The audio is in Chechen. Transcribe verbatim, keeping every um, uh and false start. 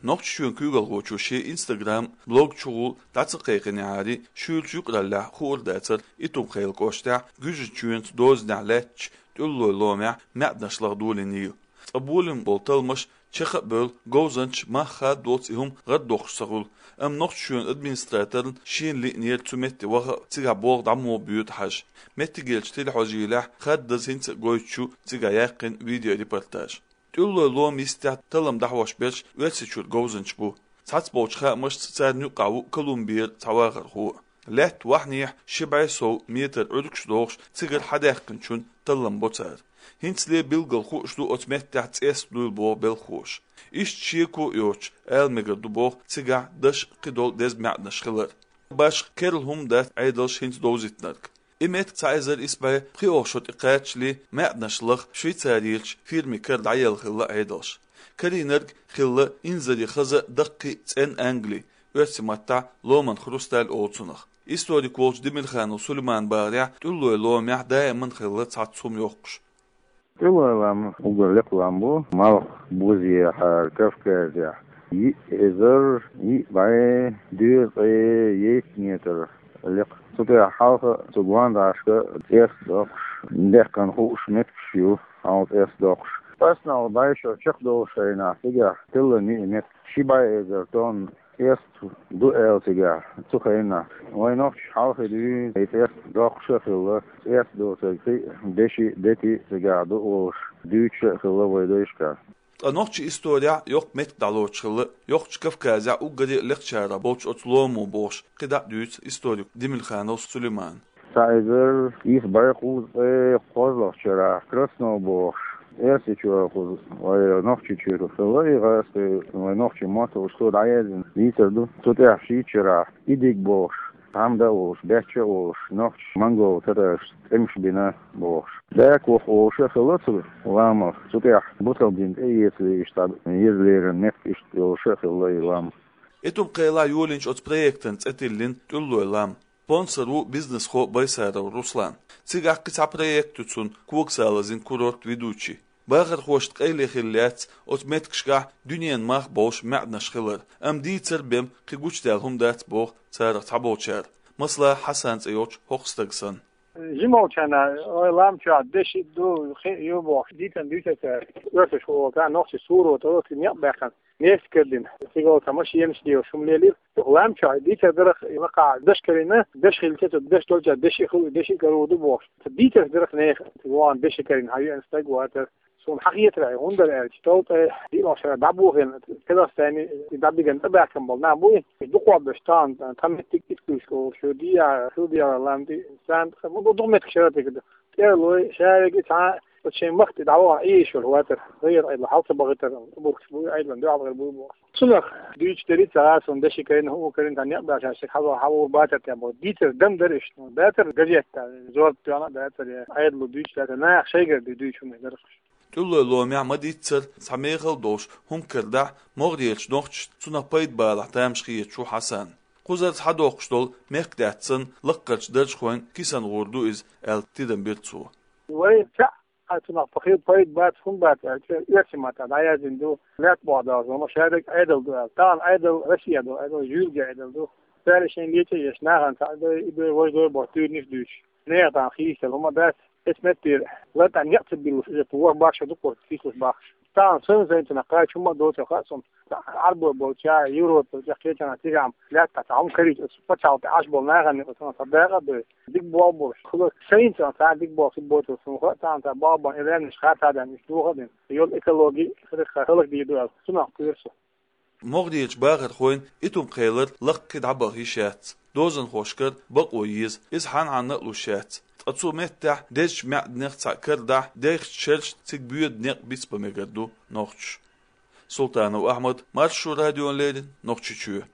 Нохчийчоьнан куьйгалхочо шен Instagram блог чухула дӀа ца кхайкхинехьара, шуьйрачу юкъараллехь хуур дацара Итум-Кхайла кӀоштахь Гуьжачоьнца дозанехь лаьттачу ТӀуьллой ломехь маьӀданаш лаха долийна йила. Цкъа болийна болу талламаш чекх а бевлла, говзанчаш мах хаддолц и хӀума гӀардоккхуш ца хуьлу, амма Нохчийчоьнан администраторна шена лиънера цу метте ваха а, цигахь болх дӀа муха боьду хьажа. Меттигерчу телехьожийлехь хаддаза хӀинца а гойтуш ю цигахь яьккхина видеорепортаж. ТӀуьллой лома йистехь таллам дӀахьош берш Оьрсийчуьра говзанчаш бу. Цхьацца болчу хаамашца царна юккъехь ву Колумбера цхьа вахархо а. Лаьтта вахьанехьа ши бӀе сов метр Ӏуьргаш дохуш, цигара хьадаьккхинчун таллам бо цара. ХӀинцале билггал хууш ду оцу меттехь цӀест дуйла боху белхахоша. Иштта шеко а йоцуш, ала мегар ду боху цигахь даш а, кхидолу деза маьӀданаш хилар. Башха керла хӀума дац Ӏедалша хӀинца довзийтинарг. И меттиг цхьа эзар исс бӀе пхоьалгӀа шо тӀекхачале маьӀданаш лаха Швейцарерчу фирмин кара дӀаелла хилла Ӏедалша. Карийнарг хилла инзаре хаза а, даккхий а цӀена ангали, оьрсийн маттахь ломан хрусталь олу цунах. Историк волчу Демирханов Сулеймана бахарехь, ТӀуьллой ломехь даиман хилла цхьацца хӀума йоккхуш. ТӀуьллой лам уггар лекха лам бу, малх бузехьара Кавказехь. Йиъ эзар йиъ бӀе дезткъе итт метр лекха. Цу тӀехь хьалха а, цу гондӀашка а цӀест доккхуш, даьккхина хууш меттигаш ю, хьалха цӀест доккхуш. Пасналла бӀе шо чекхдолуш хенахь, цигахь хилла и меттиг ши бӀе эзар тонна цӀест ду аьлла цигахь, цу хенахь. Вайн нохчаша хьалхе дуьйна и цӀест доккхуш а хилла, цӀест доцург кхин а деши, дети цигахь ду олуш дуьйцуш а хилла вайн дайшкахь. Ткъа нохчийн исторехь йоккха меттиг дӀалоцуш хилла, йоккхачу Кавказехь уггаре а лекхачарах болчу оцу ломо бохуш, кхидӀа а дуьйцу историк Демирханов Сулеймана. Цхьа эзар исс бӀе кхузткъе кхозлагӀчу шарахь Красно бохуш, Оьрсийчохь кхуза вайн Нохчийчуьра хилла и гӀазкхи, вайн нохчийн мотт а уьш цо дӀаяздина дийцар ду. Цу тӀехь шийтта шарахь Идиг бохуш, Хьамда а волуш, Бечча а волуш, нохчаша монгол татарашца тӀемаш бина бохуш. Дакох волуш а хилла цу ламах, цу тӀехь Бусалба дин тӀеэцале иштта дӀа еза леррина меттиг иштта йолуш а хилла и лам. Итум-Кхелахь йолийначу оцу проектан цӀе тиллина ТӀуьллой лам. Спонсор ву бизнесхо Байсаров Руслан. Цигахь кхин цхьа проект ю цуьнан, когасалазин курорт «Ведучий». Бахархошна къайле хилла яц оцу меттигашкахь дуьненан мах болуш маьӀданаш хилар, амма дийцар бен кхин гучудаьлла хӀума дац боху царах цхьаболчара, масала, Хьасан цӀе йолчу хӀокху стага санна. Жимолчарна, ой, лам чохь деши ду, хи ю бохуш, дийцан дуьйцура цара. Оьрсаша хӀокху нохчийн сурото, оцу некъ баьккхина, нефть карадина. Цига оцу машенаш лелаш хӀума лелийра. Лам чохь дийцар дара, лакхахь даш карийна, даш хилча, цу даш долчохь деши хуьлу, деши карор ду бохуш. Дийцар дара нехан, вон деши карийна, хьан юьан стаг вацара. Суна хьан хетарехь, хӀунда аьлча, товтӀе диълагӀчу шарахь дӀабохийна Казахстане, и дӀабиган тӀебаьхкина болу нах буй, дукхох беш тахана, тхан меттиг Иткуьйск олуш ю, Дия, Хилдия лам тӀе, Сан, ду-, дукха меттиг шарахь тӀе ду. ТӀерлой, Шариги цхьа, оцу шайн махка тӀе дӀавахана Ӏийша вара вацара, гӀайгӀар Ӏедало хьал ца бахийтар, бургаш буй, Ӏедалан дуьхьал бахар буй бохуш. Цунах дуьйцуш деррица гӀа суна деши карийна, хӀума карийна, тхан некъ баьхча, хьажа хьан вур бацар тӀе боху. Дийцар дам дара иштта, бацара газетта, зорба тоьхна а бацара, я Ӏедало дуьйцуш дацара, наха шайгара дуьйцуш хӀума дара. ТӀуьллой ломехь ма-дийццара цхьа мехала долуш хӀума карадахь могӀарерчу нохчашна, цунах пайда балахь тамаш хеташ ву Хьасан. Кхузара хьадоккхуш долу мехкадаьтта санна, лаккхарчу даржхойн кисана гӀур ду иза, аьлла тидам бира цо. Вай цхьаъ а цунах пхи пайда бац, хӀунда бац аьлча, оьрсийн маттахь дӀаяздина ду, лаьтта боху далза, ма шадерг Ӏедал ду аьлла. Тахана Ӏедал Россия ду, Ӏедал жуьлга Ӏедал ду. Цара шайн леча еш, нахана цхьаъ дой, и дой, важа дой боху туьйранаш дуьйцуш. Нехан тахана хийцаделла хӀума дац, эцу меттера латта некъ ца биллуш, иза вор бахша дукха сийсалуш бахаш. Тахана сайн-сайна цунах кхача хӀума а доцу хаьа суна. Ӏарбой болча, Европа болча, кхечанхьа цигахь лаьттахь цхьа хӀума карийча, оцу пачхьалкх тӀе Ӏаш болу нахана оцунах цхьа дакъа а дой. Дика болх болуш. Хила сайна цхьа дика болх хир боцург суна хаьа, тахана цхьа бакъбан и лаьмнаш хатта а даьнна, уьш дохо а дина. Йолу экологи хӀаллакдийр ду аьлла, цунах кхоьру со. МогӀарерчу бахархойн Итум-Кхелара лаккхий дӀабаха йиш яц. Дозанхошкара бакъо еза, иза хьан-хьанна а луш яц. Ткъа цу меттехь дезачу маьӀданех цхьаъ карадахь, дайхачу шерашна цига боьду некъ бицбан мегар ду нохчаша. Султанов Ахьмад, Маршо радиона леррина, Нохчийчоь.